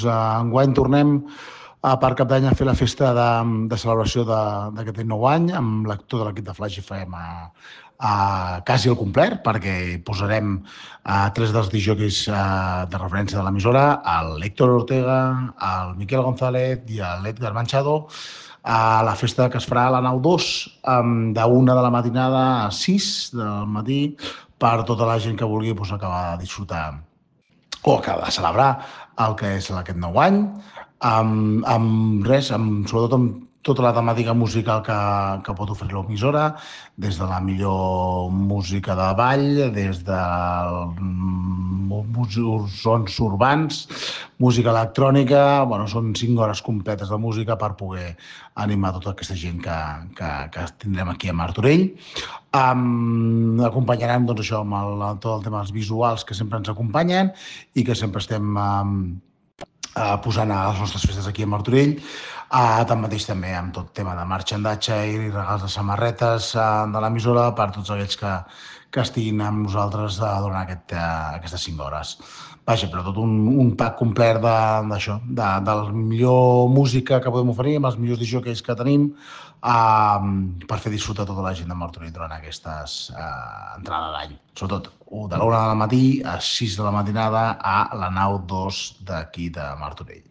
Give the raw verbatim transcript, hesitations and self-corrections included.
doncs, enguany tornem a per Cap d'Any a fer la festa de, de celebració d'aquest nou any amb l'actor de l'equip de Flash F M a, a quasi al complet, perquè posarem a tres dels disjòqueis de referència de l'emissora, l'Héctor Ortega, el Miquel González i l'Edgar Manchado, a la festa que es farà a la nau dos, d'una de la matinada a sis del matí, per tota la gent que vulgui doncs, acabar de disfrutar o acabar de celebrar el que és aquest nou any, amb, amb res, amb, sobretot amb tota la temàtica musical que, que pot oferir l'emissora, des de la millor música de ball, des de sons urbans, música electrònica, bueno, són cinc hores completes de música per poder animar tota aquesta gent que, que, que tindrem aquí a Martorell. Um, acompanyarem doncs, això, amb el, tot el tema dels visuals que sempre ens acompanyen i que sempre estem um, uh, posant a les nostres festes aquí a Martorell. Uh, tanmateix també amb tot tema de marxandatge i regals de samarretes uh, de l'emissora per tots aquells que, que estiguin amb nosaltres uh, durant aquest, uh, aquestes cinc hores. Vaja, però tot un, un pack complet d'això, de, de, de la millor música que podem oferir, amb els millors disjòqueis que tenim, uh, per fer disfrutar tota la gent de Martorell durant aquestes uh, entrades d'any. Sobretot de l'una del matí a sis de la matinada a la nau dos d'aquí de Martorell.